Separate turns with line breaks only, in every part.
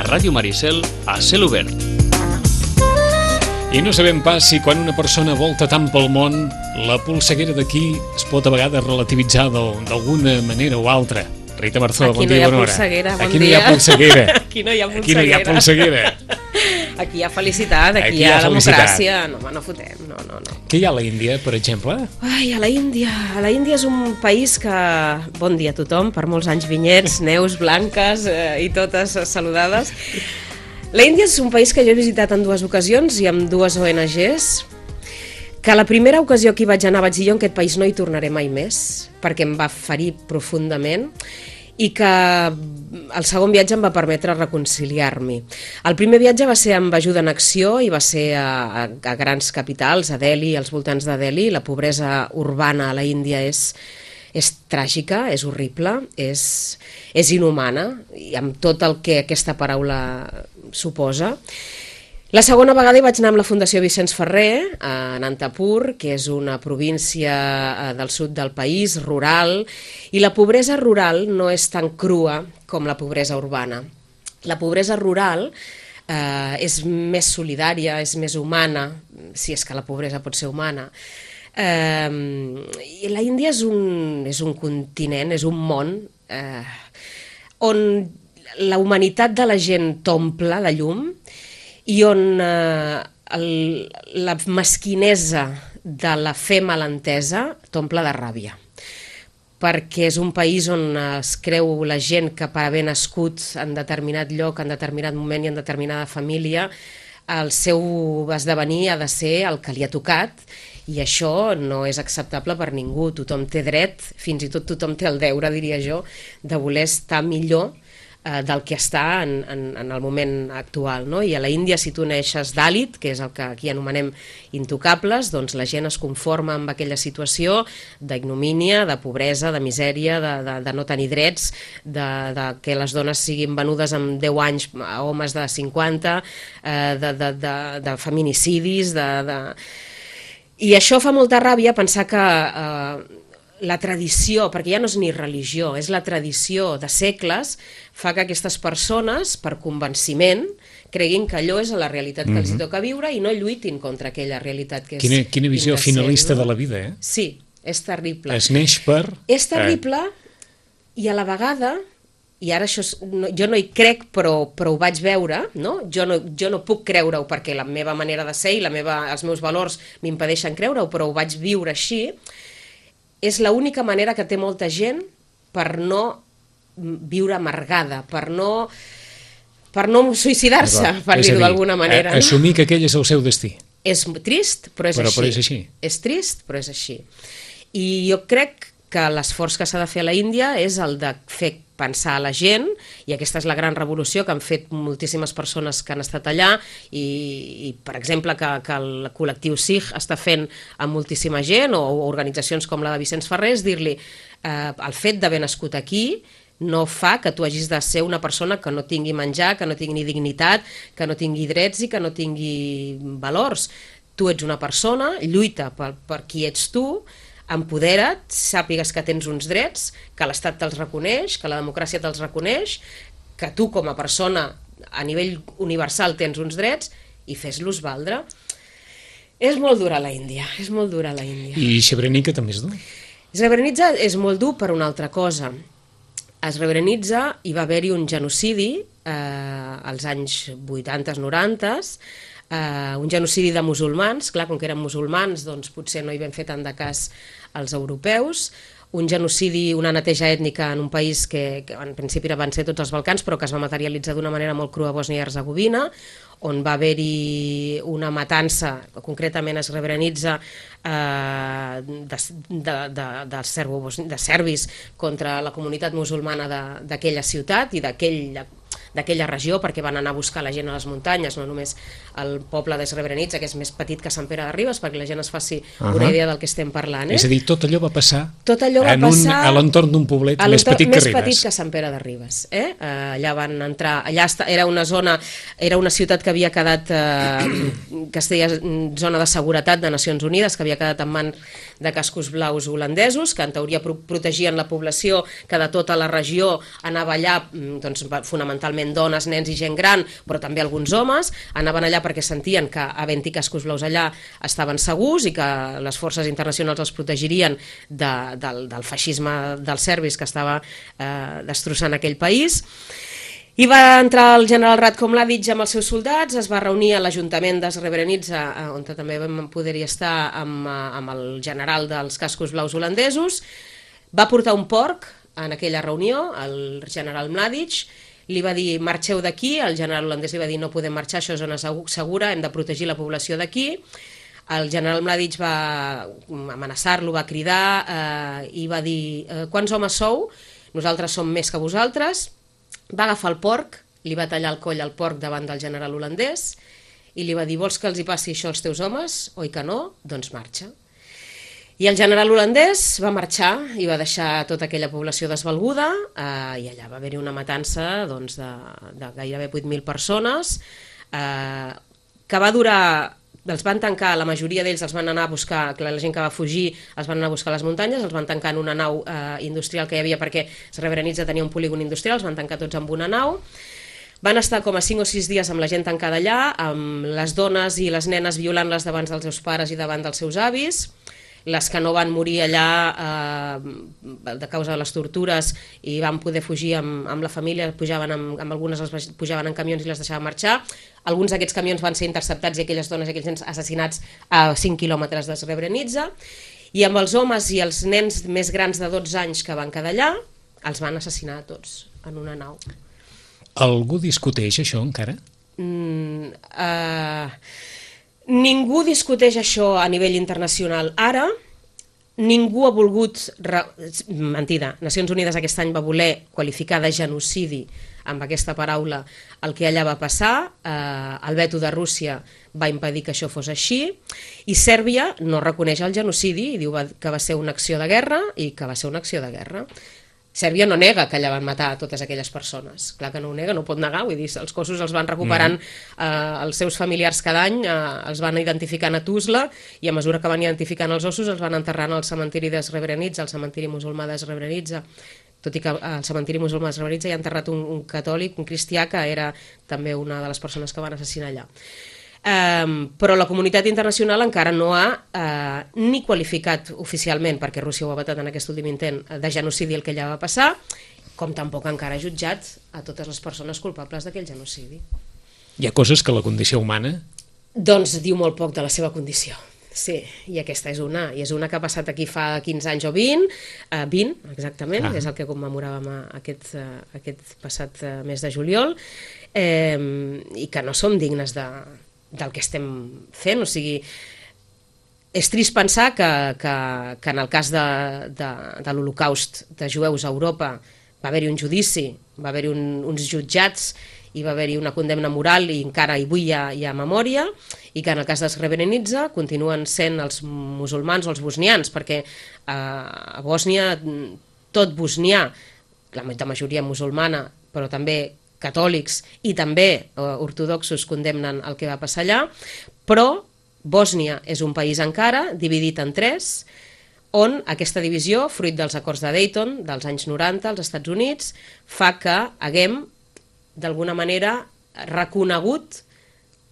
Ràdio Maricel a cel obert.
I no sabem pas si quan una persona volta tant pel món, la polseguera d'aquí es pot a vegades relativitzar d'alguna manera o altra. Rita Marzó, bon dia, bona hora.
Aquí no hi ha polseguera,
Aquí no hi ha polseguera.
Aquí hi ha felicitat, aquí hi ha democràcia. No, home, no fotem, no.
Què hi ha a la Índia, per exemple?
Ai, a la Índia és un país que... Bon dia a tothom, per molts anys vinyets, Neus, Blanques i totes saludades. La Índia és un país que jo he visitat en 2 ocasions i amb 2 ONGs, que la primera ocasió que hi vaig anar vaig dir jo en aquest país no hi tornaré mai més, perquè em va ferir profundament, i que el segon viatge em va permetre reconciliar-m'hi. El primer viatge va ser amb Ajuda en Acció i va ser a grans capitals, a Delhi, als voltants de Delhi. La pobresa urbana a la Índia és tràgica, és horrible, és inhumana, i amb tot el que aquesta paraula suposa. La segona vegada hi vaig anar amb la Fundació Vicenç Ferrer, a Anantapur, que és una província del sud del país, rural, i la pobresa rural no és tan crua com la pobresa urbana. La pobresa rural és més solidària, és més humana, si és que la pobresa pot ser humana. I la Índia és un continent, és un món on la humanitat de la gent t'omple de llum, i on la mesquinesa de la fe malentesa t'omple de ràbia. Perquè és un país on es creu la gent que per haver nascut en determinat lloc, en determinat moment i en determinada família, el seu esdevenir ha de ser el que li ha tocat, i això no és acceptable per ningú. Tothom té dret, fins i tot tothom té el deure, diria jo, de voler estar millor del que està en el moment actual, no? I a la Índia, si tu neixes Dalit, que és el que aquí anomenem intocables, doncs la gent es conforma amb aquella situació d'ignomínia, de pobresa, de misèria, de no tenir drets, de que les dones siguin venudes amb 10 anys a homes de 50, de feminicidis, I això fa molta ràbia pensar que la tradició, perquè ja no és ni religió, és la tradició de segles, fa que aquestes persones, per convenciment, creguin que allò és la realitat que els toca viure i no lluitin contra aquella realitat que és
Quina visió finalista de la vida, eh?
Sí, és terrible.
Es neix per...
És terrible i a la vegada, i ara això jo no hi crec però ho vaig veure, no? Jo no puc creure-ho perquè la meva manera de ser i els meus valors m'impedeixen creure-ho, però ho vaig viure així. És l'única manera que té molta gent per no viure amargada, per no suïcidar-se, per dir-ho d'alguna manera.
Assumir que aquell és el seu destí.
És trist, però és així.
Però és així.
És trist, però és així. I jo crec que l'esforç que s'ha de fer a la Índia és el de fer pensar a la gent, i aquesta és la gran revolució que han fet moltíssimes persones que han estat allà, i per exemple que el col·lectiu Sikh està fent amb moltíssima gent, o organitzacions com la de Vicenç Ferrer, és dir-li el fet d'haver nascut aquí no fa que tu hagis de ser una persona que no tingui menjar, que no tingui ni dignitat, que no tingui drets i que no tingui valors. Tu ets una persona, lluita per qui ets tu, empodera't, sàpigues que tens uns drets, que l'Estat te'ls reconeix, que la democràcia te'ls reconeix, que tu com a persona a nivell universal tens uns drets, i fes-los valdre. És molt dura la Índia, és molt dura la Índia.
I Srebrenica també és dur?
Srebrenica és molt dur per una altra cosa. A Srebrenica hi va haver-hi un genocidi als anys 80-90, un genocidi de musulmans, clar, com que eren musulmans, doncs potser no hi vam fer tant de cas als europeus, un genocidi, una neteja ètnica en un país que en principi van ser tots els Balcans, però que es va materialitzar d'una manera molt crua a Bòsnia i Hercegovina, on va haver-hi una matança, concretament a Srebrenica, de serbis contra la comunitat musulmana d'aquella ciutat i d'aquella regió, perquè van anar a buscar la gent a les muntanyes, no només el poble de Srebrenica, que és més petit que Sant Pere de Ribes, perquè la gent es faci una idea del que estem parlant.
És a dir, tot allò va passar
a
l'entorn d'un poblet més petit que Ribes.
Més petit que Sant Pere de Ribes. Allà van entrar, era una zona, era una ciutat que havia quedat, que es deia zona de seguretat de Nacions Unides, que havia quedat en mans de cascos blaus holandesos, que en teoria protegien la població, que de tota la regió anava allà, doncs, fonamentalment bàsicament dones, nens i gent gran, però també alguns homes, anaven allà perquè sentien que havent-hi cascos blaus allà estaven segurs i que les forces internacionals els protegirien del feixisme dels serbis que estava destrossant aquell país. I va entrar el general Ratko Mladic amb els seus soldats, es va reunir a l'Ajuntament de Srebrenica, on també vam poder estar amb el general dels cascos blaus holandesos, va portar un porc en aquella reunió, el general Mladic, li va dir marxeu d'aquí, el general holandès li va dir no podem marxar, això és zona segura, hem de protegir la població d'aquí. El general Mladic va amenaçar-lo, va cridar i va dir quants homes sou? Nosaltres som més que vosaltres. Va agafar el porc, li va tallar el coll al porc davant del general holandès i li va dir vols que els hi passi això als teus homes? Oi que no? Doncs marxa. I el general holandès va marxar i va deixar tota aquella població desvalguda i allà va haver-hi una matança doncs, de gairebé 8.000 persones que va durar... Els van tancar, la majoria d'ells els van anar a buscar, la gent que va fugir els van anar a buscar a les muntanyes, els van tancar en una nau industrial que hi havia perquè Srebrenica tenia un polígon industrial, els van tancar tots amb una nau. Van estar com a 5 o 6 dies amb la gent tancada allà, amb les dones i les nenes violant-les davant dels seus pares i davant dels seus avis. Les que no van morir allà de causa de les tortures i van poder fugir amb la família, pujaven amb algunes pujaven en camions i les deixaven marxar. Alguns d'aquests camions van ser interceptats i aquelles dones i aquells nens assassinats a 5 quilòmetres de Srebrenica. I amb els homes i els nens més grans de 12 anys que van quedar allà, els van assassinar tots en una nau.
Algú discuteix això encara?
Ningú discuteix això a nivell internacional ara, ningú ha volgut... Mentida, Nacions Unides aquest any va voler qualificar de genocidi amb aquesta paraula el que allà va passar, el veto de Rússia va impedir que això fos així, i Sèrbia no reconeix el genocidi i diu que va ser una acció de guerra i que va ser una acció de guerra. Sèrbia no nega que allà van matar a totes aquelles persones. Clar que no ho nega, no pot negar, vull dir, els cossos els van recuperant els seus familiars cada any, els van identificant a Tuzla i a mesura que van identificant els ossos els van enterrant al cementiri de Srebrenica, al cementiri musulmà de Srebrenica, tot i que al cementiri musulmà de Srebrenica hi ha enterrat un catòlic, un cristià, que era també una de les persones que van assassinar allà. Però la comunitat internacional encara no ha ni qualificat oficialment, perquè Rússia ho ha vetat en aquest últim intent, de genocidi el que allà va passar, com tampoc encara ha jutjat a totes les persones culpables d'aquell genocidi.
Hi ha coses que la condició humana...
Doncs diu molt poc de la seva condició. Sí, i aquesta és una que ha passat aquí fa 15 anys o 20, 20 exactament, és el que commemoràvem aquest passat mes de juliol, i que no som dignes del que estem fent, o sigui, és trist pensar que en el cas de l'Holocaust de jueus a Europa va haver-hi un judici, va haver-hi uns jutjats i va haver-hi una condemna moral i encara avui hi ha memòria, i que en el cas de Srebrenica continuen sent els musulmans o els bosnians, perquè a Bòsnia tot bosnià, la majoria musulmana, però també catòlics i també ortodoxos condemnen el que va passar allà, però Bòsnia és un país encara dividit en 3, on aquesta divisió, fruit dels acords de Dayton dels anys 90 als Estats Units, fa que haguem d'alguna manera reconegut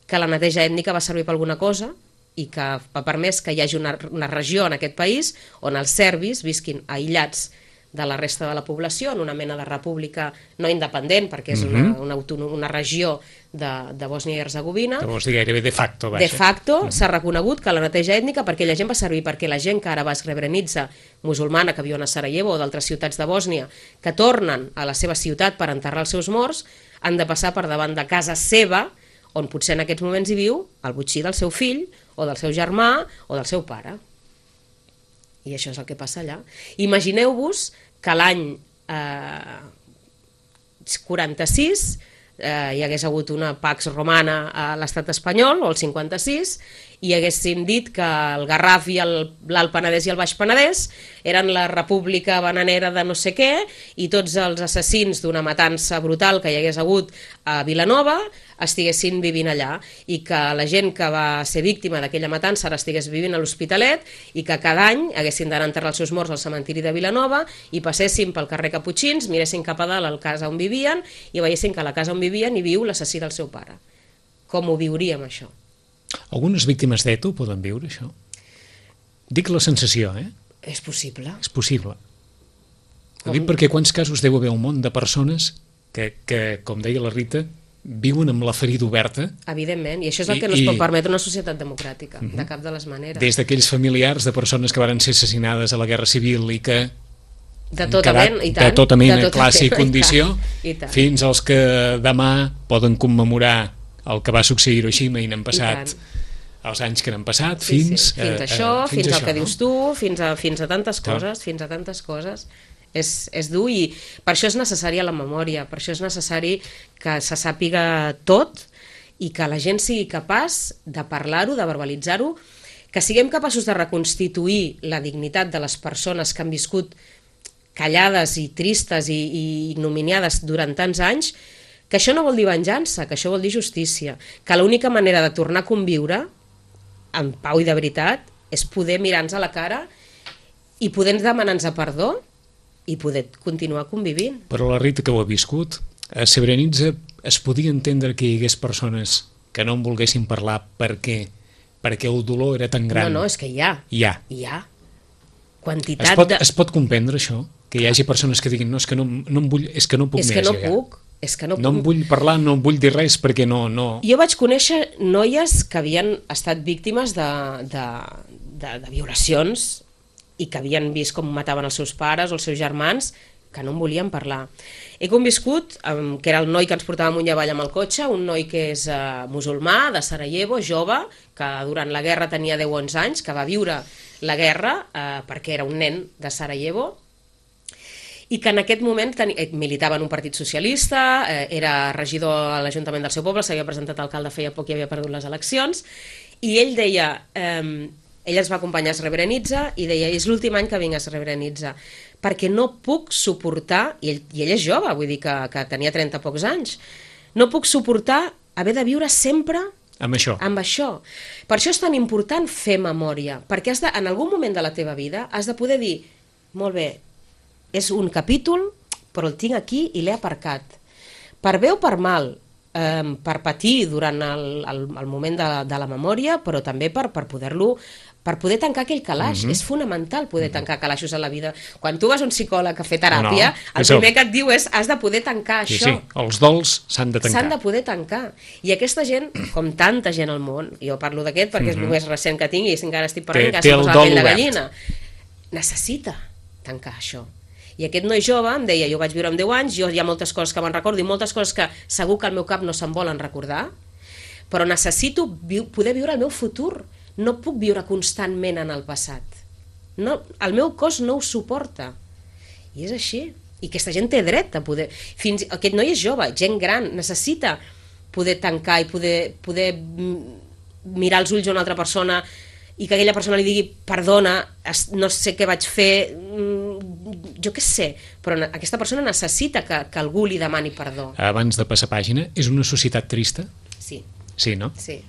que la neteja ètnica va servir per alguna cosa i que ha permès que hi hagi una regió en aquest país on els serbis visquin aïllats de la resta de la població, en una mena de república no independent, perquè és una regió de Bòsnia i Herzegovina.
Que vols dir gairebé de facto, vaja.
De facto s'ha reconegut que la neteja ètnica, perquè la gent va servir, perquè la gent que ara va a Srebrenica, musulmana, que viuen a Sarajevo o d'altres ciutats de Bòsnia, que tornen a la seva ciutat per enterrar els seus morts, han de passar per davant de casa seva, on potser en aquests moments hi viu el botxí del seu fill, o del seu germà, o del seu pare. I això és el que passa allà. Imagineu-vos que l'any 46 hi hagués hagut una Pax Romana a l'estat espanyol, o el 56, i haguéssim dit que el Garraf i l'Alt Penedès i el Baix Penedès eren la república bananera de no sé què, i tots els assassins d'una matança brutal que hi hagués hagut a Vilanova estiguessin vivint allà, i que la gent que va ser víctima d'aquella matança ara estigués vivint a l'Hospitalet, i que cada any haguessin d'anar a enterrar els seus morts al cementiri de Vilanova i passessin pel carrer Caputxins, miressin cap a dalt a la casa on vivien i veiessin que a la casa on vivien hi viu l'assassí del seu pare. Com ho viuríem, això?
Algunes víctimes d'ETA ho poden viure, això? Dic la sensació,
És possible.
És possible. Ho dic perquè quants casos deu haver un munt de persones que, com deia la Rita, viuen amb la ferida oberta.
Evidentment, i això és el que no es pot permetre una societat democràtica, de cap de les maneres.
Des d'aquells familiars de persones que varen ser assassinades a la Guerra Civil i que
de tota mena, i tant,
de tota mena, classe i condició,
i tant.
fins als que demà poden commemorar el que va succeir a Hiroshima i n'han passat els anys que n'han passat, fins
això, fins al que dius tu, fins a tantes coses, és dur, i per això és necessària la memòria, per això és necessari que se sàpiga tot i que la gent sigui capaç de parlar-ho, de verbalitzar-ho, que siguem capaços de reconstituir la dignitat de les persones que han viscut callades i tristes i ignominiades durant tants anys, que això no vol dir venjança, que això vol dir justícia, que l'única manera de tornar a conviure en pau i de veritat és poder mirar-nos a la cara i poder demanar-nos perdó i poder continuar convivint.
Però la Rita, que ho ha viscut, a Srebrenica es podia entendre que hi hagués persones que no en volguessin parlar perquè el dolor era tan gran.
No, és que hi ha.
Hi ha.
Quantitat
es pot comprendre això? Que hi hagi persones que diguin no, és que no em vull, és que no puc més. No em vull parlar, no em vull dir res perquè no...
Jo vaig conèixer noies que havien estat víctimes de violacions i que havien vist com mataven els seus pares o els seus germans, que no en volien parlar. He conviscut, que era el noi que ens portava amunt i avall amb el cotxe, un noi que és musulmà, de Sarajevo, jove, que durant la guerra tenia 10 o 11 anys, que va viure la guerra perquè era un nen de Sarajevo, i que en aquest moment militava en un partit socialista, era regidor a l'Ajuntament del seu poble, s'havia presentat alcalde feia poc i havia perdut les eleccions, i ell deia... Ell ens va acompanyar a Srebrenica i deia, és l'últim any que vinc a Srebrenica, perquè no puc suportar, i ell és jove, vull dir que tenia 30 pocs anys, no puc suportar haver de viure sempre amb això. Per això és tan important fer memòria, perquè en algun moment de la teva vida has de poder dir, molt bé, és un capítol, però el tinc aquí i l'he aparcat. Per bé o per mal, per patir durant el moment de la memòria, però també per poder tancar aquell calaix. És fonamental poder tancar calaixos a la vida. Quan tu vas a un psicòleg a fer teràpia, el primer que et diu és has de poder tancar això.
Sí, els dols s'han de tancar.
S'han de poder tancar. I aquesta gent, com tanta gent al món, jo parlo d'aquest perquè és el més recent que tinc i encara estic parlant que s'ha posat la pell de gallina, necessita tancar això. I aquest noi jove em deia, jo vaig viure amb 10 anys, jo hi ha moltes coses que me'n recordo i moltes coses que segur que al meu cap no se'n volen recordar, però necessito poder viure el meu futur. No puc viure constantment en el passat. No, el meu cos no ho suporta. I és així. I aquesta gent té dret a poder... Aquest noi és jove, gent gran, necessita poder tancar i poder mirar els ulls a una altra persona i que aquella persona li digui perdona, no sé què vaig fer, jo què sé, però aquesta persona necessita que algú li demani perdó.
Abans de passar pàgina, és una societat trista?
Sí.
Sí, no?
Sí.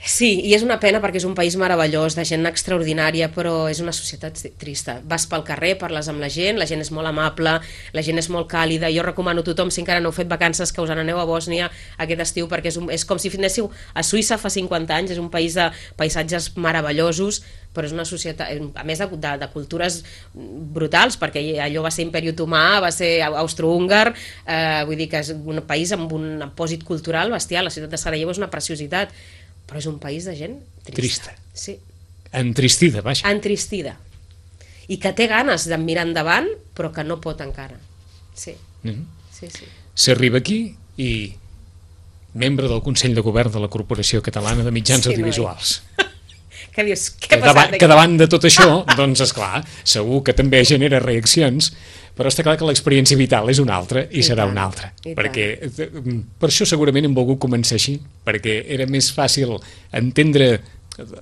Sí, i és una pena perquè és un país meravellós, de gent extraordinària, però és una societat trista. Vas pel carrer, parles amb la gent és molt amable, la gent és molt càlida. Jo recomano a tothom, si encara no heu fet vacances, que us n'aneu a Bòsnia aquest estiu, perquè és com si anéssiu a Suïssa fa 50 anys, és un país de paisatges meravellosos, però és una societat, a més de cultures brutals, perquè allò va ser imperi otomà, va ser austrohúngar, vull dir que és un país amb un pòsit cultural bestial. La ciutat de Sarajevo és una preciositat, però és un país de gent trista. Sí.
Entristida, vaja.
Entristida. I que té ganes de mirar endavant, però que no pot encara. Sí. Sí.
S'arriba aquí i membre del Consell de Govern de la Corporació Catalana de Mitjans Audiovisuals.
Què dius? Què ha passat aquí?
Que davant de tot això, doncs esclar, segur que també genera reaccions, Però està clar que l'experiència vital és una altra i serà una altra. Perquè per això segurament hem volgut començar així, perquè era més fàcil entendre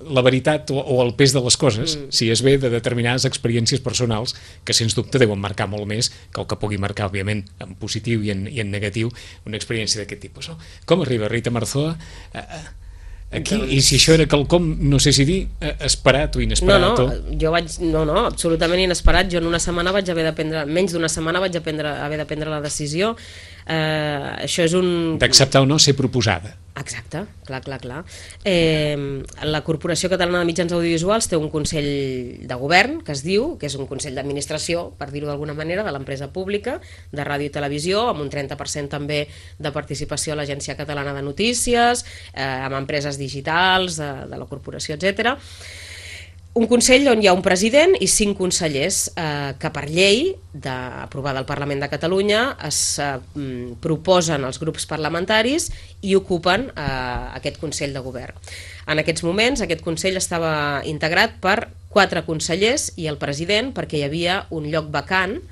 la veritat o el pes de les coses si es ve de determinades experiències personals que sens dubte deuen marcar molt més que el que pugui marcar, òbviament, en positiu i en negatiu una experiència d'aquest tipus. Com arriba Rita Marzoa aquí? I si això era quelcom, no sé si dir, esperat o inesperat?
No, absolutament inesperat. Jo en una setmana vaig haver de prendre, menys d'una setmana vaig haver de prendre la decisió. Això és un...
D'acceptar o no ser proposada.
Exacte, clar. La Corporació Catalana de Mitjans Audiovisuals té un consell de govern, que es diu, que és un consell d'administració, per dir-ho d'alguna manera, de l'empresa pública, de ràdio i televisió, amb un 30% també de participació a l'Agència Catalana de Notícies, amb empreses digitals de la corporació, etc. Un consell on hi ha un president i 5 consellers que per llei aprovada al Parlament de Catalunya es proposen als grups parlamentaris i ocupen aquest Consell de Govern. En aquests moments aquest Consell estava integrat per 4 consellers i el president, perquè hi havia un lloc vacant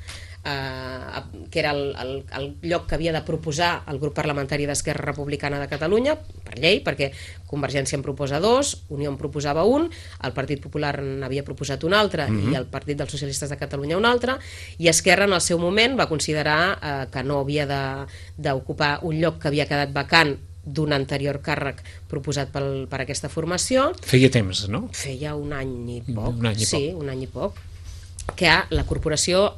que era el lloc que havia de proposar el grup parlamentari d'Esquerra Republicana de Catalunya, per llei, perquè Convergència en proposa 2, Unió en proposava 1, el Partit Popular n'havia proposat un altre i el Partit dels Socialistes de Catalunya un altre, i Esquerra en el seu moment va considerar que no havia d'ocupar un lloc que havia quedat vacant d'un anterior càrrec proposat per aquesta formació.
Feia temps, no?
Feia un any i poc. Un any i poc. Que la corporació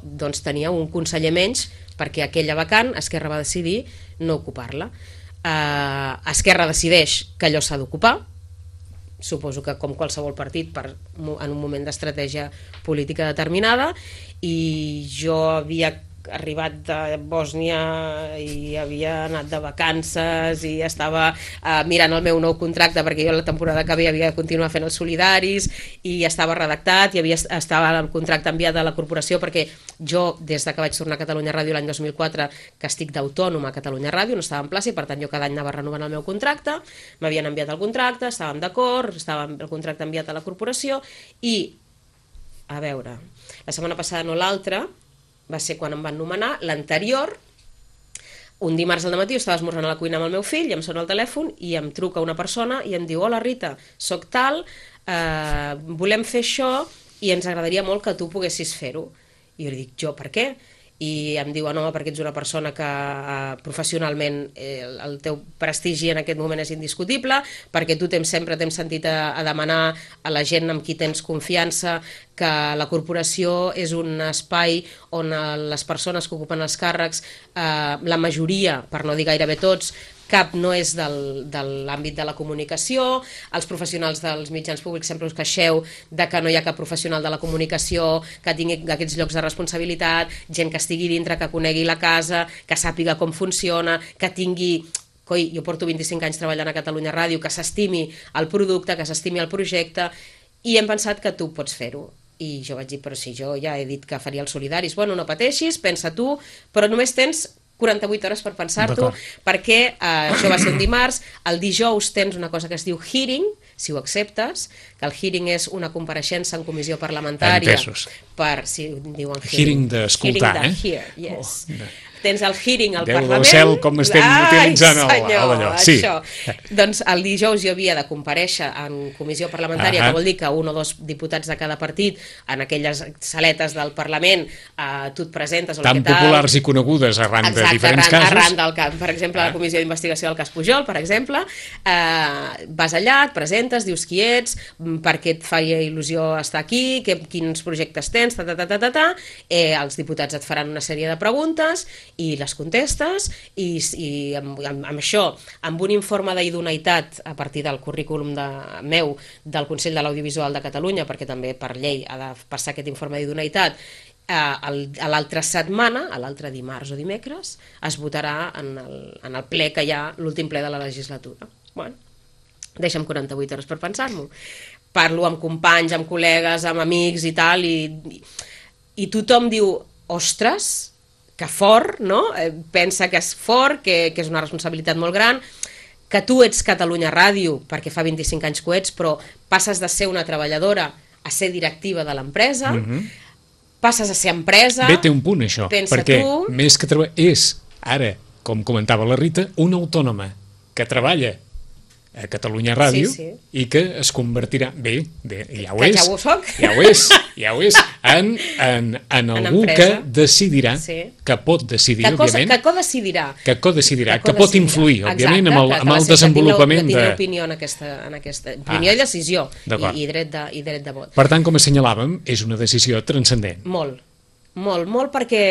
tenia un conseller menys perquè aquella vacant Esquerra va decidir no ocupar-la. Esquerra decideix que allò s'ha d'ocupar, suposo que com qualsevol partit en un moment d'estratègia política determinada, i jo havia arribat de Bòsnia i havia anat de vacances i estava mirant el meu nou contracte, perquè jo la temporada que havia de continuar fent els solidaris, i estava redactat i estava el contracte enviat a la corporació, perquè jo des que vaig tornar a Catalunya Ràdio l'any 2004 que estic d'autònoma a Catalunya Ràdio, no estava en plaça i per tant jo cada any anava renovant el meu contracte, m'havien enviat el contracte, estàvem d'acord, estava el contracte enviat a la corporació i, a veure, la setmana passada no l'altra, va ser quan em van nomenar, l'anterior, un dimarts al matí estava esmorzant a la cuina amb el meu fill i em sona el telèfon i em truca una persona i em diu: hola Rita, soc tal, volem fer això i ens agradaria molt que tu poguessis fer-ho. I jo li dic: jo per què? I em diu: no, perquè ets una persona que professionalment el teu prestigi en aquest moment és indiscutible, perquè tu sempre t'hem sentit a demanar a la gent amb qui tens confiança que la corporació és un espai on les persones que ocupen els càrrecs, la majoria, per no dir gairebé tots, cap no és de l'àmbit de la comunicació, els professionals dels mitjans públics sempre us queixeu de que no hi ha cap professional de la comunicació que tingui aquests llocs de responsabilitat, gent que estigui dintre, que conegui la casa, que sàpiga com funciona, que tingui... jo porto 25 anys treballant a Catalunya Ràdio, que s'estimi el producte, que s'estimi el projecte, i hem pensat que tu pots fer-ho. I jo vaig dir: però si jo ja he dit que faria els solidaris. Bueno, no pateixis, pensa tu, però només tens 48 hores per pensar-t'ho, perquè això va ser un dimarts, el dijous tens una cosa que es diu hearing, si ho acceptes, que el hearing és una compareixença en comissió parlamentària.
Entesos.
Si diuen
hearing d'escoltar,
hear, yes. Tens el hearing al
Déu
Parlament.
del cel, com estem utilitzant allò. Sí.
Doncs el dijous jo havia de comparèixer en comissió parlamentària, que vol dir que 1 o 2 diputats de cada partit, en aquelles saletes del Parlament, tu et presentes...
Tan populars i conegudes arran de diferents casos.
Arran del cas, per exemple, la comissió d'investigació del cas Pujol, per exemple, vas allà, et presentes, dius qui ets, per què et faria il·lusió estar aquí, quins projectes tens, els diputats et faran una sèrie de preguntes i les contestes, i amb això, amb un informe d'idoneïtat a partir del currículum meu del Consell de l'Audiovisual de Catalunya, perquè també per llei ha de passar aquest informe d'idoneïtat, a l'altra setmana, a l'altre dimarts o dimecres, es votarà en el ple que hi ha, l'últim ple de la legislatura. Bueno, deixa'm 48 hores per pensar-m'ho. Parlo amb companys, amb col·legues, amb amics i tal, i tothom diu: ostres, que fort, no? Pensa que és fort, que és una responsabilitat molt gran, que tu ets Catalunya Ràdio, perquè fa 25 anys que ho ets, però passes de ser una treballadora a ser directiva de l'empresa, passes a ser empresa...
Bé, té un punt, això, perquè més que és, ara, com comentava la Rita, una autònoma que treballa a Catalunya Ràdio i que es convertirà, bé, ja ho és, ja ho és, en algú que decidirà, que pot decidir, òbviament, que codecidirà, que pot influir, òbviament, amb el desenvolupament
de... opinió en aquesta opinió i decisió, i dret de vot.
Per tant, com assenyalàvem, és una decisió transcendent.
Molt, perquè...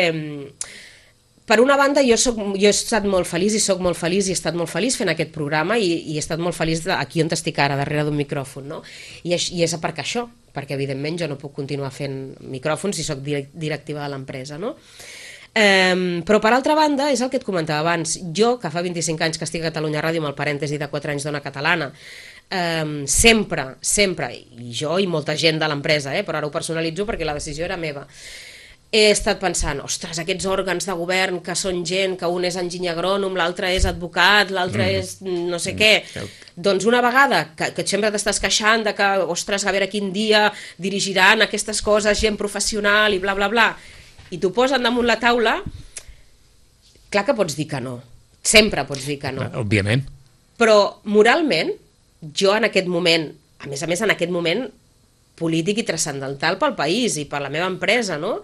Per una banda, jo he estat molt feliç i soc molt feliç i he estat molt feliç fent aquest programa i he estat molt feliç aquí on estic ara, darrere d'un micròfon, no? I és per això, perquè evidentment jo no puc continuar fent micròfons si soc directiva de l'empresa, no? Però per altra banda, és el que et comentava abans, jo, que fa 25 anys que estic a Catalunya Ràdio amb el parèntesi de 4 anys d'Ona Catalana, sempre, i jo i molta gent de l'empresa, però ara ho personalitzo perquè la decisió era meva, he estat pensant, ostres, aquests òrgans de govern que són gent, que un és enginyer agrònom, l'altre és advocat, l'altre és no sé què, doncs una vegada que sempre t'estàs queixant de que, ostres, a veure quin dia dirigiran aquestes coses gent professional i bla bla bla, i t'ho posen damunt la taula, clar que pots dir que no, sempre pots dir que no.
Òbviament.
Però moralment, jo en aquest moment, a més en aquest moment polític i transcendental pel país i per la meva empresa, no?,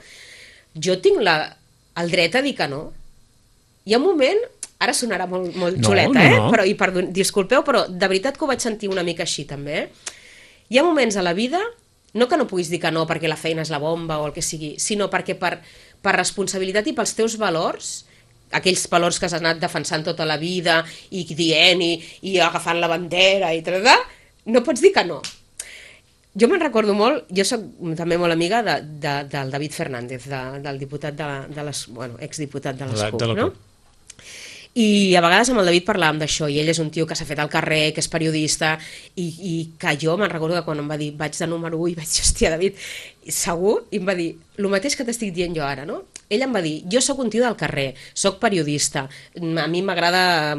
jo tinc el dret a dir que no. Hi ha un moment, ara sonarà molt xuleta, però, disculpeu, però de veritat que ho vaig sentir una mica així també, hi ha moments a la vida, no que no puguis dir que no perquè la feina és la bomba o el que sigui, sinó perquè per responsabilitat i pels teus valors, aquells valors que has anat defensant tota la vida i dient i agafant la bandera i tal, no pots dir que no. Jo me'n recordo molt, jo soc també molt amiga del David Fernández, del diputat exdiputat de les CUP, no? I a vegades amb el David parlàvem d'això, i ell és un tio que s'ha fet al carrer, que és periodista, i que jo me'n recordo que quan em va dir vaig de número 1 i vaig dir, hòstia, David, segur? I em va dir, el mateix que t'estic dient jo ara, no? Ell em va dir, jo sóc un tio del carrer, sóc periodista, a mi m'agrada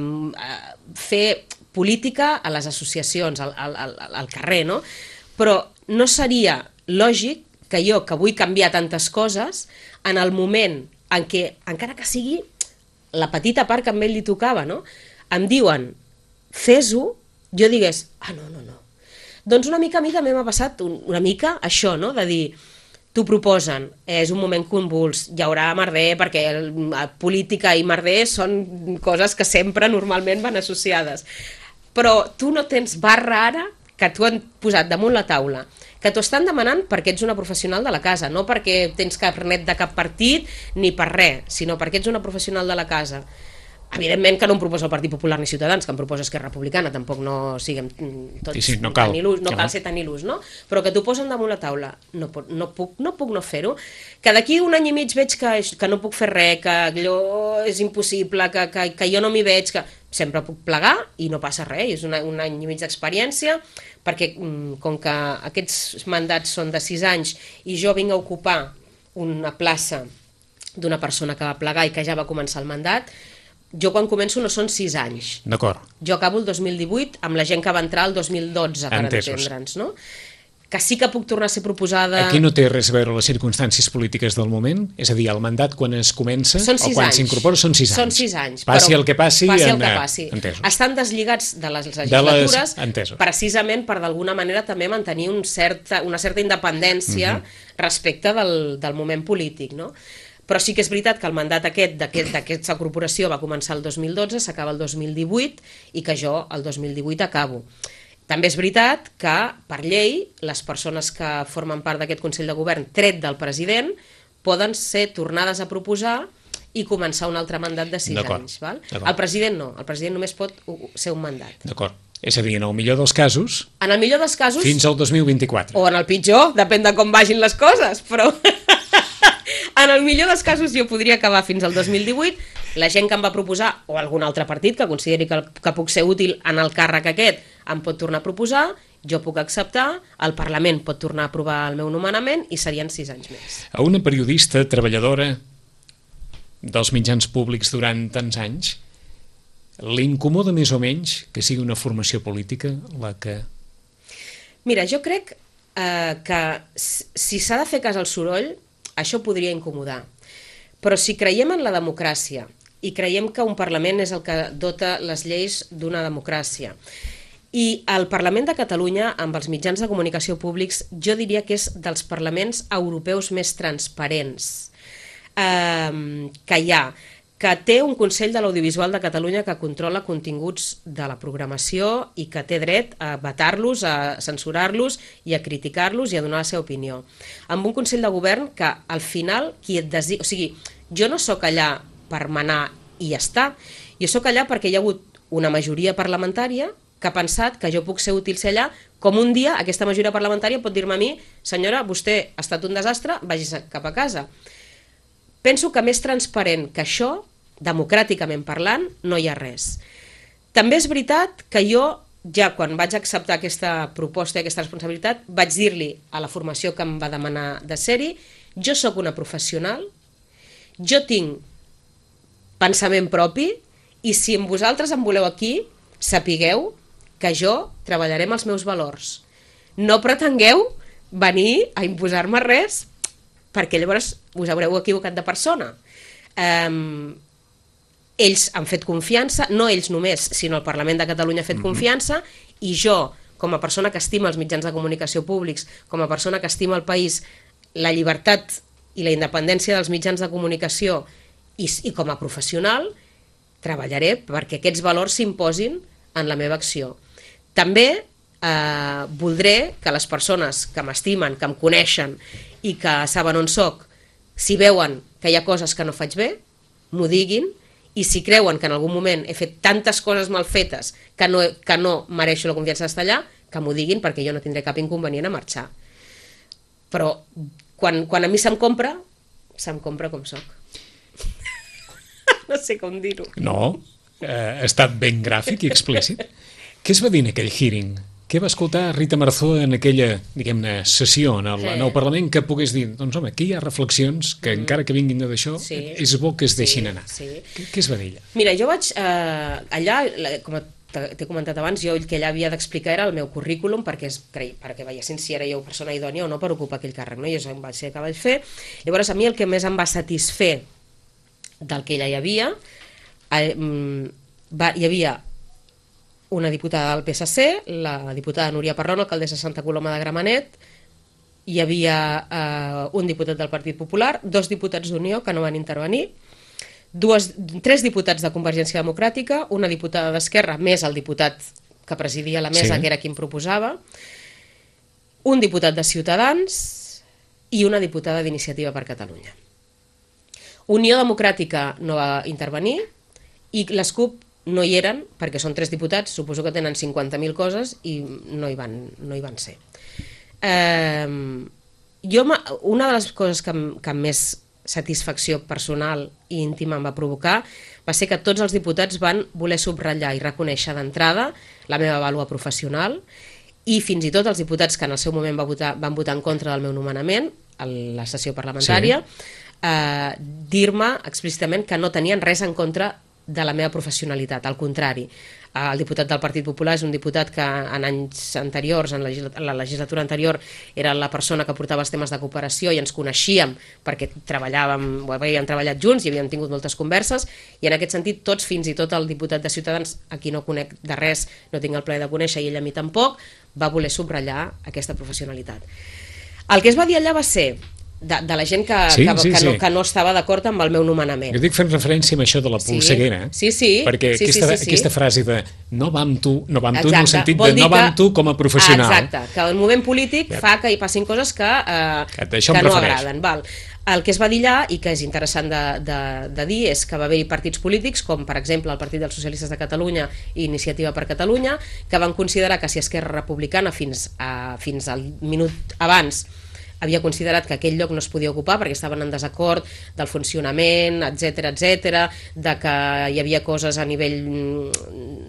fer política a les associacions, al carrer, no? Però no seria lògic que jo, que vull canviar tantes coses, en el moment en què, encara que sigui la petita part que a ell li tocava, no?, em diuen, fes-ho, jo digués, no. Doncs una mica a mi també m'ha passat una mica això, no?, de dir, t'ho proposen, és un moment convuls, hi haurà merder, perquè política i merder són coses que sempre normalment van associades. Però tu no tens barra ara que t'ho han posat damunt la taula, que t'ho estan demanant perquè ets una professional de la casa, no perquè tens carnet de cap partit ni per res, sinó perquè ets una professional de la casa. Evidentment que no em proposa el Partit Popular ni Ciutadans, que em proposa Esquerra Republicana, tampoc no siguem tots
no cal
ser tan il·lus, no? Però que t'ho posen damunt la taula, no puc no fer-ho, que d'aquí un any i mig veig que no puc fer res, que allò és impossible, que jo no m'hi veig, que sempre puc plegar i no passa res, és un any i mig d'experiència, perquè com que aquests mandats són de 6 anys i jo vinc a ocupar una plaça d'una persona que va plegar i que ja va començar el mandat, jo quan començo no són 6 anys.
D'acord.
Jo acabo el 2018 amb la gent que va entrar el 2012, per entendre'ns, no? Que sí que puc tornar a ser proposada...
Aquí no té res a veure les circumstàncies polítiques del moment? És a dir, el mandat quan es comença o quan s'incorpora són 6 anys?
Són 6 anys.
Passi el que passi...
Entesos. Estan deslligats de les legislatures precisament per d'alguna manera també mantenir una certa independència respecte del moment polític, no? Però sí que és veritat que el mandat d'aquesta corporació va començar el 2012, s'acaba el 2018 i que jo el 2018 acabo. També és veritat que, per llei, les persones que formen part d'aquest Consell de Govern, tret del president, poden ser tornades a proposar i començar un altre mandat de 6 anys. Val? El president no, el president només pot ser un mandat.
D'acord. És a dir, en el millor dels casos...
En el millor dels casos...
Fins al 2024.
O en el pitjor, depèn de com vagin les coses, però... En el millor dels casos jo podria acabar fins al 2018, la gent que em va proposar, o algun altre partit que consideri que puc ser útil en el càrrec aquest, em pot tornar a proposar, jo puc acceptar, el Parlament pot tornar a aprovar el meu nomenament i serien 6 anys més.
A una periodista treballadora dels mitjans públics durant tants anys, li incomoda més o menys que sigui una formació política la que...
Mira, jo crec que si s'ha de fer cas al soroll, això podria incomodar. Però si creiem en la democràcia i creiem que un Parlament és el que dota les lleis d'una democràcia, i el Parlament de Catalunya, amb els mitjans de comunicació públics, jo diria que és dels parlaments europeus més transparents que hi ha, que té un Consell de l'Audiovisual de Catalunya que controla continguts de la programació i que té dret a vetar-los, a censurar-los i a criticar-los i a donar la seva opinió. Amb un Consell de Govern que al final qui et designa... O sigui, jo no sóc allà per manar i ja està. Jo sóc allà perquè hi ha hagut una majoria parlamentària que ha pensat que jo puc ser útil ser allà, com un dia aquesta majoria parlamentària pot dir-me a mi, senyora, vostè ha estat un desastre, vagis cap a casa. Penso que més transparent que això, democràticament parlant, no hi ha res. També és veritat que jo, ja quan vaig acceptar aquesta proposta i aquesta responsabilitat, vaig dir-li a la formació que em va demanar de ser-hi, jo sóc una professional, jo tinc pensament propi i si amb vosaltres em voleu aquí, sapigueu que jo treballaré amb els meus valors. No pretengueu venir a imposar-me res perquè llavors us haureu equivocat de persona. Ells han fet confiança, no ells només, sinó el Parlament de Catalunya ha fet confiança, i jo, com a persona que estima els mitjans de comunicació públics, com a persona que estima el país, la llibertat i la independència dels mitjans de comunicació i com a professional, treballaré perquè aquests valors s'imposin en la meva acció. També voldré que les persones que m'estimen, que em coneixen i que saben on soc, si veuen que hi ha coses que no faig bé, m'ho diguin, i si creuen que en algun moment he fet tantes coses mal fetes que no mereixo la confiança d'estar allà, que m'ho diguin perquè jo no tindré cap inconvenient a marxar. Però quan a mi se'm compra com soc. No sé com dir-ho.
No, ha estat ben gràfic i explícit. Què es va dir en aquell hearing? Què va escoltar Rita Marzó en aquella, diguem-ne, sessió en el Parlament que pogués dir, doncs home, aquí hi ha reflexions que encara que vinguin d'això, és bo que es deixin anar. Què es va dir allà?
Mira, jo vaig allà, com t'he comentat abans, jo el que allà havia d'explicar era el meu currículum perquè veiessin si era jo persona idònia o no per ocupar aquell càrrec. Jo vaig ser el que vaig fer. Llavors, a mi el que més em va satisfer del que allà hi havia, hi havia una diputada del PSC, la diputada Núria Parrón, alcaldessa de Santa Coloma de Gramenet, hi havia un diputat del Partit Popular, 2 diputats d'Unió que no van intervenir, 3 diputats de Convergència Democràtica, una diputada d'Esquerra, més el diputat que presidia la mesa, que era qui em proposava, un diputat de Ciutadans i una diputada d'Iniciativa per Catalunya. Unió Democràtica no va intervenir i les CUP no hi eren, perquè són 3 diputats, suposo que tenen 50.000 coses i no hi van ser. Una de les coses que més satisfacció personal i íntima em va provocar va ser que tots els diputats van voler subratllar i reconèixer d'entrada la meva vàlua professional i fins i tot els diputats que en el seu moment van votar en contra del meu nomenament a la sessió parlamentària, dir-me explícitament que no tenien res en contra de la meva professionalitat, al contrari. El diputat del Partit Popular és un diputat que en anys anteriors, en la legislatura anterior, era la persona que portava els temes de cooperació i ens coneixíem perquè havíem treballat junts i havíem tingut moltes converses, i en aquest sentit tots, fins i tot el diputat de Ciutadans, a qui no conec de res, no tinc el plaer de conèixer i ell a mi tampoc, va voler subratllar aquesta professionalitat. El que es va dir allà va ser de la gent que no estava d'acord amb el meu nomenament.
Jo dic fent referència a això de la polseguera, perquè aquesta frase de no va amb tu, no va en el sentit de no va amb tu com a professional.
Exacte, que el moment polític fa que hi passin coses que no agraden. El que es va dir allà, i que és interessant de dir, és que va haver-hi partits polítics, com per exemple el Partit dels Socialistes de Catalunya i Iniciativa per Catalunya, que van considerar que si Esquerra Republicana fins al minut abans havia considerat que aquell lloc no es podia ocupar perquè estaven en desacord del funcionament, etc., de que hi havia coses a nivell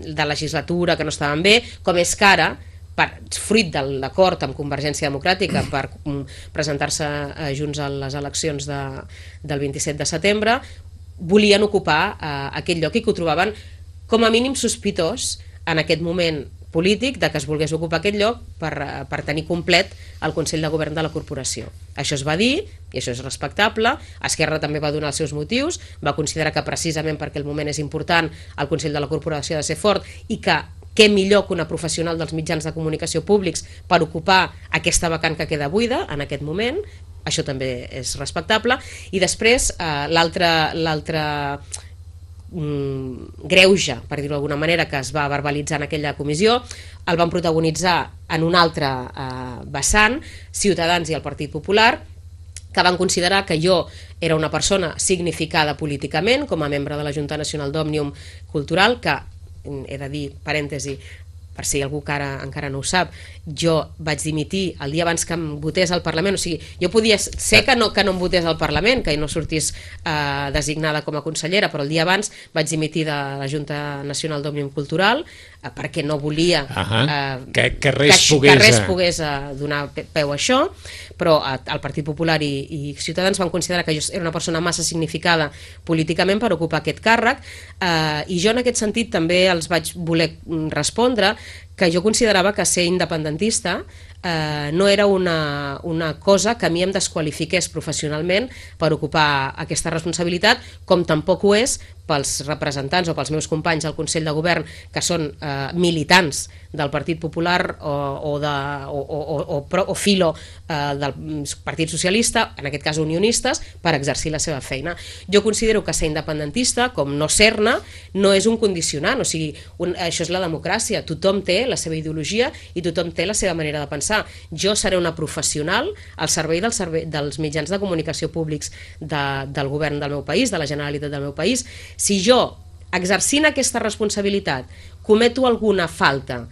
de legislatura que no estaven bé, com és que ara, fruit de l'acord amb Convergència Democràtica per presentar-se junts a les eleccions del 27 de setembre, volien ocupar aquell lloc i que ho trobaven com a mínim sospitós en aquest moment polític de que es volgués ocupar aquest lloc per tenir complet el Consell de Govern de la corporació. Això es va dir, i això és respectable. Esquerra també va donar els seus motius, va considerar que precisament perquè el moment és important el Consell de la corporació ha de ser fort i que què millor que una professional dels mitjans de comunicació públics per ocupar aquesta vacant que queda buida en aquest moment. Això també és respectable. I després l'altre greuge, per dir-ho d'alguna manera, que es va verbalitzar en aquella comissió, el van protagonitzar en un altre vessant, Ciutadans i el Partit Popular, que van considerar que jo era una persona significada políticament com a membre de la Junta Nacional d'Òmnium Cultural, que, he de dir, parèntesi, per si algú que encara no ho sap, jo vaig dimitir el dia abans que em votés al Parlament, o sigui, jo podia ser que no em votés al Parlament, que no sortís designada com a consellera, però el dia abans vaig dimitir de la Junta Nacional d'Òmnium Cultural perquè no volia
que res
pogués donar peu a això, però el Partit Popular i Ciutadans van considerar que jo era una persona massa significada políticament per ocupar aquest càrrec, i jo en aquest sentit també els vaig voler respondre que jo considerava que ser independentista no era una cosa que a mi em desqualifiqués professionalment per ocupar aquesta responsabilitat, com tampoc ho és pels representants o pels meus companys al Consell de Govern que són militants del Partit Popular o filo del Partit Socialista, en aquest cas unionistes, per exercir la seva feina. Jo considero que ser independentista, com no ser-ne, no és un condicionant, o sigui, això és la democràcia, tothom té la seva ideologia i tothom té la seva manera de pensar. Jo seré una professional al servei dels mitjans de comunicació públics del govern del meu país, de la Generalitat del meu país. Si jo, exercint aquesta responsabilitat, cometo alguna falta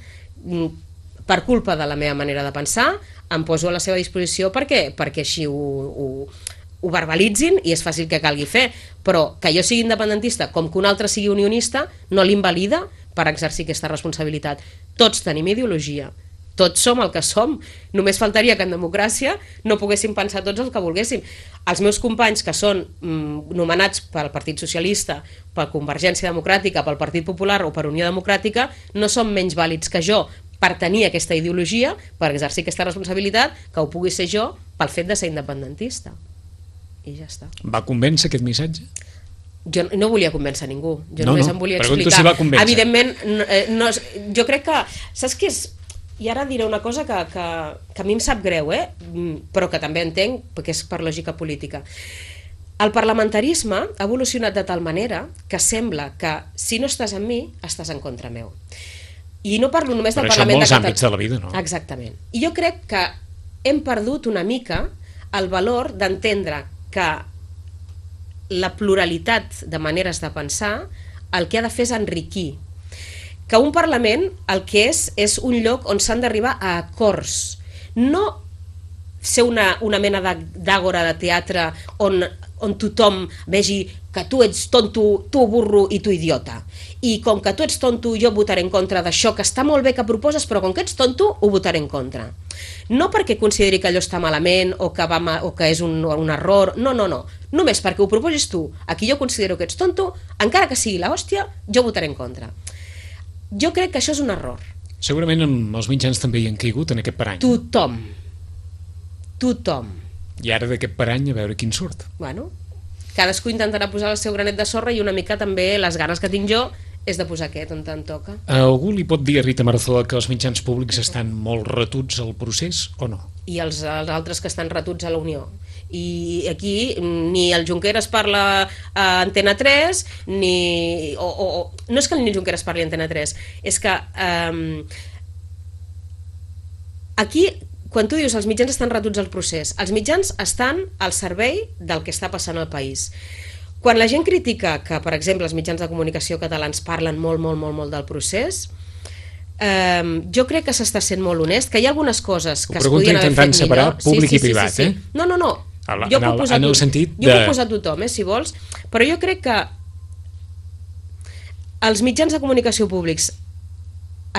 per culpa de la meva manera de pensar, em poso a la seva disposició perquè així ho verbalitzin i és fàcil que calgui fer, però que jo sigui independentista com que un altre sigui unionista no l'invalida per exercir aquesta responsabilitat. Tots tenim ideologia, tots som el que som, només faltaria que en democràcia no poguéssim pensar tots el que volguéssim. Els meus companys que són nomenats pel Partit Socialista, per Convergència Democràtica, pel Partit Popular o per Unió Democràtica no són menys vàlids que jo per tenir aquesta ideologia, per exercir aquesta responsabilitat, que ho pugui ser jo pel fet de ser independentista. I ja està.
Va convèncer aquest missatge?
Jo no volia convèncer ningú, jo només em volia explicar.
Si va convèncer.
Evidentment, jo crec que, saps què és? I ara diré una cosa que a mi em sap greu, però que també entenc, perquè és per lògica política. El parlamentarisme ha evolucionat de tal manera que sembla que si no estàs amb mi, estàs en contra meu. I no parlo només del Parlament de Catalunya.
Però això en molts àmbits de la vida, no?
Exactament. I jo crec que hem perdut una mica el valor d'entendre que la pluralitat de maneres de pensar el que ha de fer és enriquir. Que un Parlament el que és un lloc on s'han d'arribar a acords, no ser una mena d'àgora de teatre on tothom vegi que tu ets tonto, tu burro i tu idiota. I com que tu ets tonto, jo votaré en contra d'això que està molt bé que proposes, però com que ets tonto, ho votaré en contra. No perquè consideri que allò està malament o que és un error, no. Només perquè ho proposis tu, a qui jo considero que ets tonto, encara que sigui l'hòstia, jo votaré en contra. Jo crec que això és un error.
Segurament els mitjans també hi han caigut en aquest parany.
Tothom.
I ara d'aquest parany a veure quin surt.
Bueno, cadascú intentarà posar el seu granet de sorra i una mica també les ganes que tinc jo és de posar aquest on tant toca.
Algú li pot dir a Rita Marzoa que els mitjans públics estan molt retuts al procés o no?
I els altres que estan retuts a la Unió. I aquí ni el Junqueras parla a Antena 3, no és que ni el Junqueras parli a Antena 3, és que aquí, quan tu dius els mitjans estan retuts al procés, els mitjans estan al servei del que està passant al país. Quan la gent critica que, per exemple, els mitjans de comunicació catalans parlen molt del procés, jo crec que s'està sent molt honest, que hi ha algunes coses que es podien haver fet millor.
Intentant separar públic i privat,
sí. No. Jo puc posar tothom, si vols, però jo crec que els mitjans de comunicació públics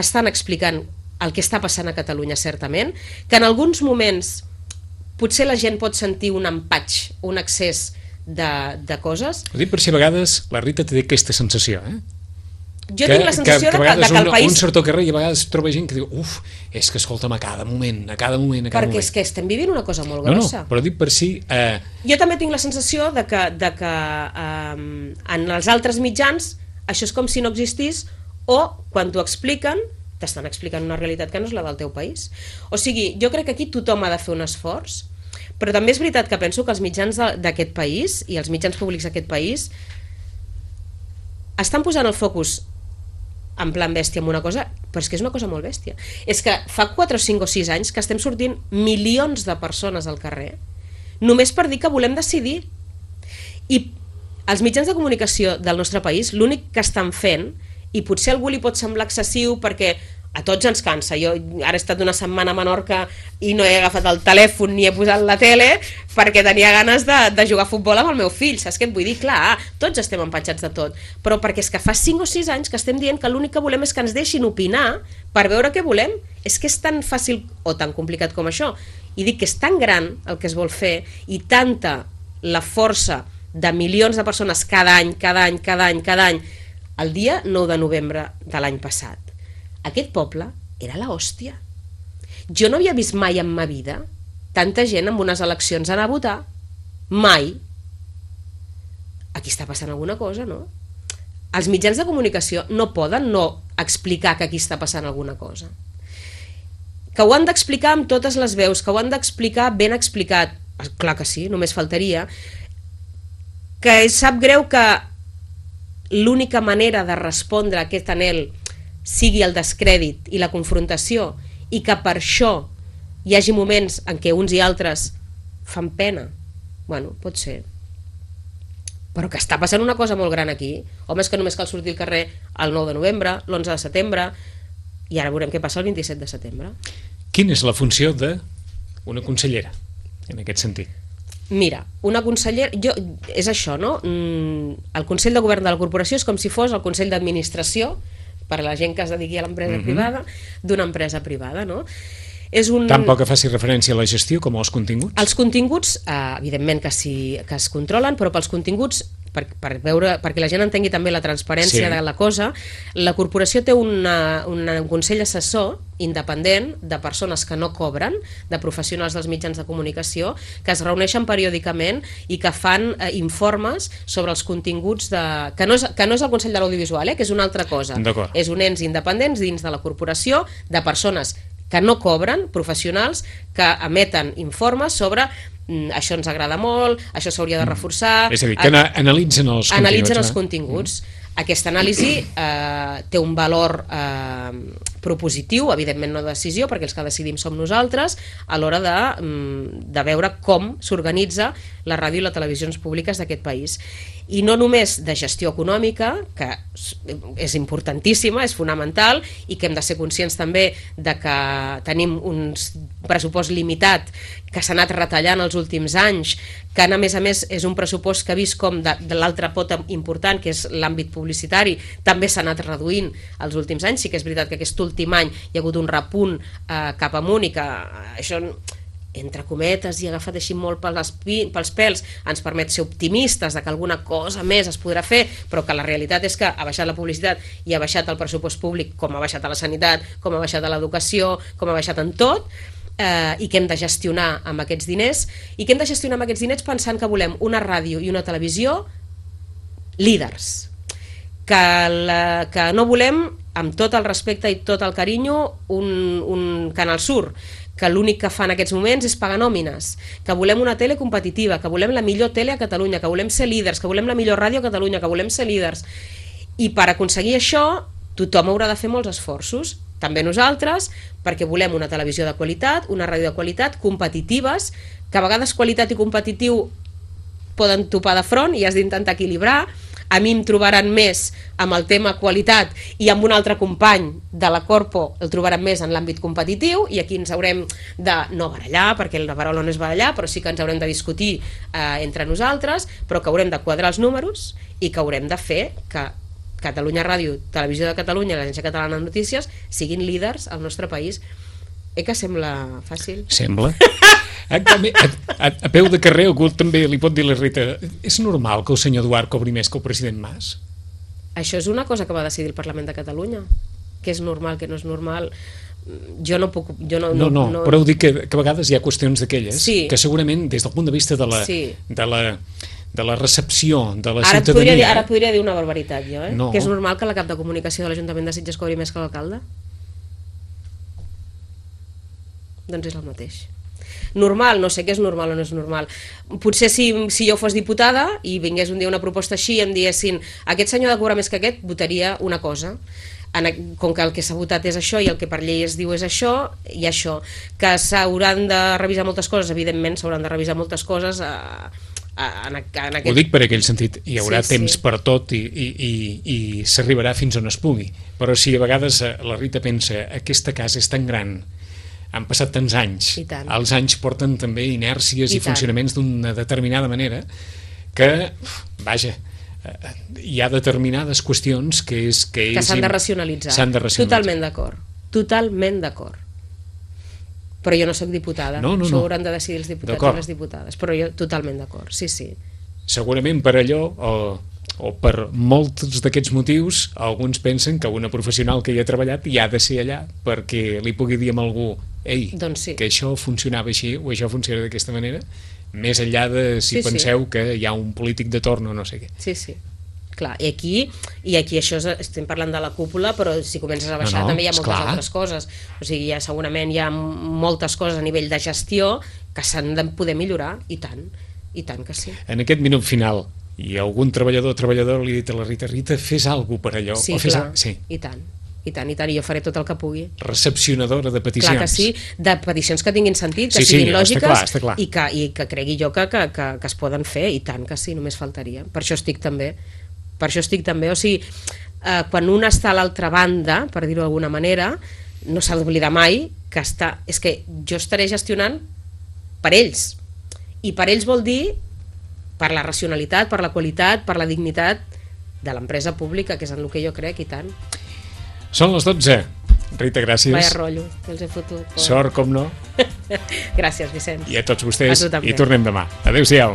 estan explicant el que està passant a Catalunya, certament, que en alguns moments potser la gent pot sentir un empatx, un excés de coses.
Ho dic per si a vegades la Rita té aquesta sensació,
Jo tinc la sensació que el país...
Un surt al carrer i a vegades troba gent que diu és que escolta'm, a cada moment.
Perquè és que estem vivint una cosa molt grossa.
No, però dic per si...
Jo també tinc la sensació de que en els altres mitjans això és com si no existís, o quan t'ho expliquen t'estan explicant una realitat que no és la del teu país. O sigui, jo crec que aquí tothom ha de fer un esforç, però també és veritat que penso que els mitjans d'aquest país i els mitjans públics d'aquest país estan posant el focus en plan bèstia amb una cosa, però és que és una cosa molt bèstia. És que fa 4 o 5 o 6 anys que estem sortint milions de persones al carrer només per dir que volem decidir. I els mitjans de comunicació del nostre país l'únic que estan fent, i potser a algú li pot semblar excessiu perquè a tots ens cansa, jo ara he estat una setmana a Menorca i no he agafat el telèfon ni he posat la tele perquè tenia ganes de jugar a futbol amb el meu fill, saps què et vull dir? Clar, tots estem empatxats de tot, però perquè és que fa 5 o 6 anys que estem dient que l'únic que volem és que ens deixin opinar per veure què volem. És que és tan fàcil o tan complicat com això, i dic que és tan gran el que es vol fer i tanta la força de milions de persones cada any, el dia 9 de novembre de l'any passat. Aquest poble era la hòstia. Jo no havia vist mai en ma vida tanta gent en unes eleccions anar a votar. Mai. Aquí està passant alguna cosa, no? Els mitjans de comunicació no poden no explicar que aquí està passant alguna cosa. Que ho han d'explicar amb totes les veus, que ho han d'explicar ben explicat. Clar que sí, només faltaria. Que sap greu que l'única manera de respondre a aquest anhel sigui el descrèdit i la confrontació, i que per això hi hagi moments en què uns i altres fan pena. Bueno, pot ser. Però que està passant una cosa molt gran aquí. Home, és que només cal sortir al carrer el 9 de novembre, l'11 de setembre, i ara veurem què passa el 27 de setembre.
Quina és la funció d'una consellera, en aquest sentit?
Mira, una consellera... és això, no? El Consell de Govern de la Corporació és com si fos el Consell d'Administració per a la gent que es dediqui a l'empresa privada, d'una empresa privada, no?
Tampoc que faci referència a la gestió com als continguts?
Els continguts, evidentment que es controlen, però pels continguts, perquè la gent entengui també la transparència de la cosa, la corporació té un consell assessor independent de persones que no cobren, de professionals dels mitjans de comunicació, que es reuneixen periòdicament i que fan informes sobre els continguts que no és el Consell de l'Audiovisual, que és una altra cosa. És un ens independents dins de la corporació de persones que no cobren, professionals, que emeten informes sobre això ens agrada molt, això s'hauria de reforçar...
És a dir, que analitzen els continguts.
Analitzen els continguts. Aquesta anàlisi té un valor propositiu, evidentment no de decisió, perquè els que decidim som nosaltres, a l'hora de veure com s'organitza la ràdio i les televisions públiques d'aquest país. I no només de gestió econòmica, que és importantíssima, és fonamental, i que hem de ser conscients també de que tenim un pressupost limitat que s'ha anat retallant els últims anys, que a més és un pressupost que ha vist com de l'altra pota important, que és l'àmbit publicitari, també s'ha anat reduint els últims anys. Sí que és veritat que aquest últim any hi ha hagut un repunt cap amunt i que això, entre cometes i agafat així molt pels pèls, ens permet ser optimistes de que alguna cosa més es podrà fer, però que la realitat és que ha baixat la publicitat i ha baixat el pressupost públic, com ha baixat a la sanitat, com ha baixat a l'educació, com ha baixat en tot, i que hem de gestionar amb aquests diners, i que hem de gestionar amb aquests diners pensant que volem una ràdio i una televisió líders, que no volem, amb tot el respecte i tot el carinyo, un Canal Sur, que l'únic que fa en aquests moments és pagar nòmines, que volem una tele competitiva, que volem la millor tele a Catalunya, que volem ser líders, que volem la millor ràdio a Catalunya, que volem ser líders. I per aconseguir això, tothom haurà de fer molts esforços, també nosaltres, perquè volem una televisió de qualitat, una ràdio de qualitat, competitives, que a vegades qualitat i competitiu poden topar de front i has d'intentar equilibrar. A mi em trobaran més amb el tema qualitat i amb un altre company de la Corpo el trobaran més en l'àmbit competitiu, i aquí ens haurem de no barallar, perquè la paraula no és barallar, però sí que ens haurem de discutir entre nosaltres, però que haurem de quadrar els números i que haurem de fer que Catalunya Ràdio, Televisió de Catalunya i l'Agència Catalana de Notícies siguin líders al nostre país. Que sembla fàcil?
Sembla. A peu de carrer algú també li pot dir a la Rita: és normal que el senyor Duart cobri més que el president Mas?
Això és una cosa que va decidir el Parlament de Catalunya. Què és normal, què no és normal... Jo no puc...
No, però ho dic que a vegades hi ha qüestions d'aquelles que segurament des del punt de vista de la recepció de la ciutadania...
Ara podria dir una barbaritat jo,
No.
Que és normal que la cap de comunicació de l'Ajuntament de Sitges cobri més que l'alcalde? Doncs és el mateix. Normal, no sé què és normal o no és normal. Potser si jo fos diputada i vingués un dia una proposta així i em diguessin aquest senyor ha de cobrar més que aquest, votaria una cosa. Com que el que s'ha votat és això i el que per llei es diu és això, i això. Que s'hauran de revisar moltes coses, evidentment s'hauran de revisar moltes coses en aquest...
Ho dic per aquell sentit, hi haurà temps per tot i s'arribarà fins on es pugui. Però si a vegades la Rita pensa aquesta casa és tan gran, han passat tants anys, els anys porten també inèrcies i funcionaments d'una determinada manera que, vaja, hi ha determinades qüestions que
s'han de racionalitzar. Totalment d'acord. Però jo no sóc diputada. Això ho hauran de decidir els diputats i les diputades. Però jo totalment d'acord, sí.
Segurament per allò, o per molts d'aquests motius, alguns pensen que una professional que hi ha treballat hi ha de ser allà perquè li pugui dir a algú que això funcionava així o això funciona d'aquesta manera, més enllà de si penseu que hi ha un polític de torn o no sé què.
Sí. Clar, i aquí això estem parlant de la cúpula, però si comences a baixar també hi ha moltes altres coses. O sigui, segurament hi ha moltes coses a nivell de gestió que s'han de poder millorar, i tant que sí.
En aquest minut final, i algun treballador o treballadora li ha dit a la Rita, fes alguna cosa per allò.
Sí, clar, i tant, i jo faré tot el que pugui.
Recepcionadora de peticions.
Clar que sí, de peticions que tinguin sentit, que siguin lògiques i que cregui jo que es poden fer, i tant que sí, només faltaria. Per això estic també, o sigui, quan un està a l'altra banda, per dir-ho d'alguna manera, no s'ha d'oblidar mai que és que jo estaré gestionant per ells, i per ells vol dir per la racionalitat, per la qualitat, per la dignitat de l'empresa pública, que és en el que jo crec, i tant.
Són les 12. Rita, gràcies.
Vaya rotllo, que els he fotut.
Sort, com no.
Gràcies, Vicenç.
I a tots vostès, i tornem demà. Adéu-siau.